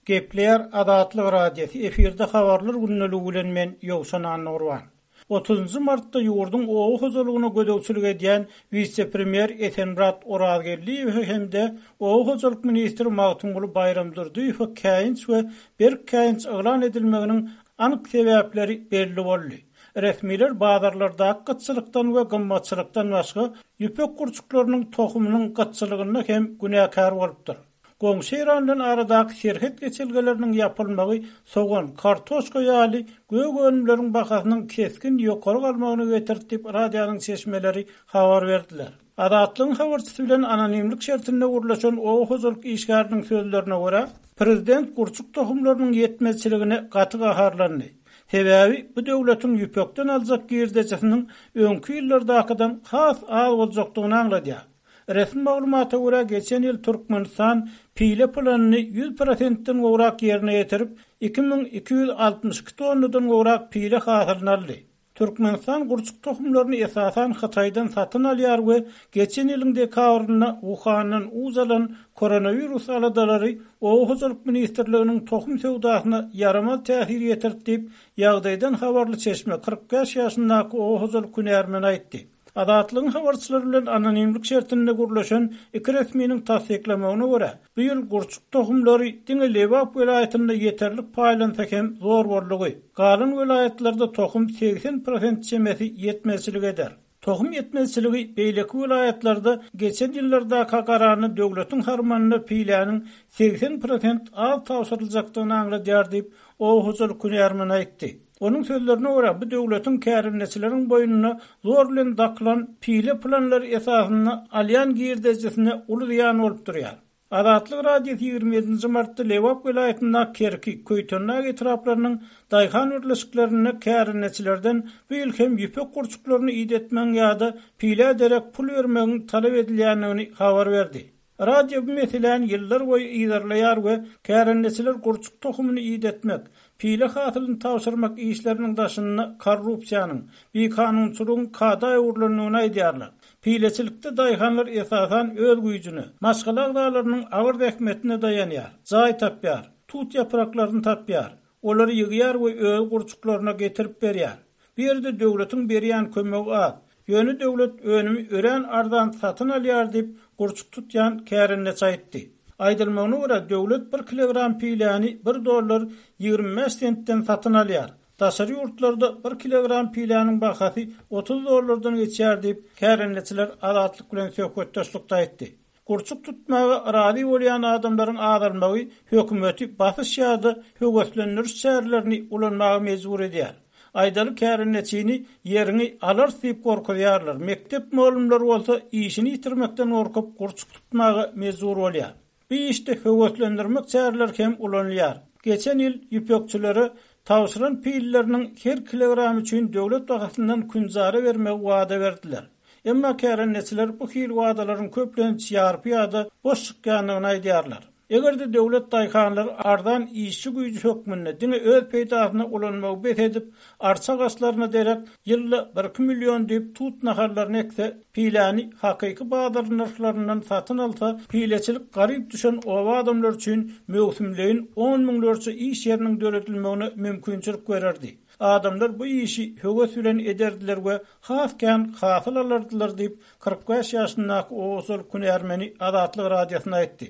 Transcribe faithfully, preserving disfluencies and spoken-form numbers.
Gepleýär Azatlyk Radiosy, efirde habarlar gündeligi bilen men Ýowşan Annagurban. Otuzynjy martda ýurduň oba hojalygyna gözegçilik edýän wise-premýer Esenmyrat Orazgeldiýewe hem-de oba hojalyk ministri Magtymguly Baýramdurdyýewe käýinç we berk käýinç yglan edilmeginiň anyk sebäpleri belli boldy. Resmiler bazarlardaky gytçylykdan we gymmatçylykdan başga ýüpek gurçuklarynyň tohumynyň gytçylygynda hem günäkär bolupdyr. Goňşy Eýran bilen aradaky serhet geçelgeleriniň ýapylmagy sogan, kartoşka ýaly gök önümleriň bahasynyň kesgin ýokary galmagyna getirdi diýip, radionyň çeşmeleri habar berdiler. Azatlygyň habarçysy bilen anonimlik şertinde gürleşen oba hojalyk işgäriniň sözlerine görä, prezident gurçuk tohumlarynyň ýetmezçiligine gaty gaharlandy. Sebäbi bu döwletiň ýüpekden aljak girdejisiniň öňki ýyllardakydan has az boljakdygyny aňladýar. Resmi maglumata görä, geçen ýyl Türkmenistan pile planyny ýüz prosentden gowrak ýerine ýetirip, iki müň iki ýüz altmyş iki tonnadan gowrak pile hasylyny aldy. Türkmenistan gurçuk tohumlaryny esasan Hytaýdan satyn alýar we geçen ýylyň dekabrynda Wuhandan uç alan koronawirus aladalary Oba hojalyk ministrliginiň tohum söwdasyna ýaramaz täsir ýetirdi diýip, ýagdaýdan habarly çeşme kyrk bäş ýaşyndaky oba hojalyk hünärmeni aýtdy. Azatlygyň habarçylary bilen anonimlik şertinde gürleşen iki resminiň tassyklamagyna görä, bu ýyl gurçuk tohumlary diňe Lebap welaýatynda ýeterlik paýlansa hem zor boldugy, galan welaýatlarda tohum segsen prosent çemesi ýetmezçilik eder. Tohum ýetmezçiligi beýleki welaýatlarda geçen ýyllardaka garanda döwletiň harmanyna piläniň segsen prosent az tabşyryljakdygyny aňladýar diýip, oba hojalyk hünärmeni aýtdy. Onuň sözlerine görä, bu döwletiň kärendeçileriň boýnuna zor bilen dakylan pile planlary esasynda alýan girdejisine uly zyýan bolup durýar. Azatlyk Radiosy ýigrimi ýedinji martda Lebap welaýatyndaky Kerki, Köýtendag etraplarynyň daýhan birleşiklerinde kärendeçilerden bu ýyl hem ýüpek gurçuklaryny idetmegiň ýa-da pilä derek pul bermegiň talap edilýändigini habar berdi. Radio bu meseläni ýyllar boýy yzarlaýar we kärendeçiler gurçuk tohumyny idetmek, pile hasylyny tabşyrmak işleriniň daşynda korrupsiýanyň, bikanunçylygyň kada öwrülendigini aýdýarlar. Pileçilikde daýhanlar esasan öz güýjüne, maşgala agzalarynyň agyr zähmetine daýanýar, jaý tapýar, tut ýapraklaryny tapýar, olary ýygýar we öz gurçuklaryna getirip berýär. Bu ýerde döwletiň berýän kömegi az, ýöne döwlet önümi örän arzan satyn alýar diýip, gurçuk tutýan kärendeçi aýtdy. Aýdylmagyna görä, döwlet bir kilogram piläni bir dollar ýigrimi bäş sentden satyn alýar. Daşary ýurtlarda bir kilogram piläniň bahasy otuz dollardan geçýär diýip, kärendeçiler Azatlyk bilen söhbetdeşlikde aýtdy. Gurçuk tutmaga razy bolýan adamlaryň azalmagy hökümeti basyş ýa-da höweslendiriş çärelerini ulanmaga mejbur edýär. Aýdaly kärendeçini ýeriňi alarys diýip gorkuzýarlar, mekdep mugallymlary bolsa işini ýitirmekden gorkup gurçuk tutmaga mejbur bolýar. Bu işde höweslendirmek çäreleri hem ulanylýar. Geçen ýyl ýüpekçilere tabşyran pilleriniň her kilogram üçin döwlet bahasyndan künjara bermegi wada berdiler. Emma kärendeçiler bu hil wadalaryň köplenç ýarpy ýa-da boş çykýandygyny aýdýarlar. Eger-de döwlet daýhanlary arzan işçi güýji hökmünde diňe öz peýdasyna ulanmagy bes edip, arça agaçlaryna derek ýylda bir-iki million düýp tut nahallaryny ekse, piläni hakyky bazar nyrhlaryndan satyn alsa, pileçilik garyp düşen oba adamlary üçin möwsümleýin on müňlerçe iş ýeriniň döredilmegine mümkinçilik bererdi. Adamlar bu işi höwes bilen ederdiler we has kän hasyl alardylar diýip, kyrk bäş ýaşyndaky oba hojalyk hünärmeni Azatlyk Radiosyna aýtdy.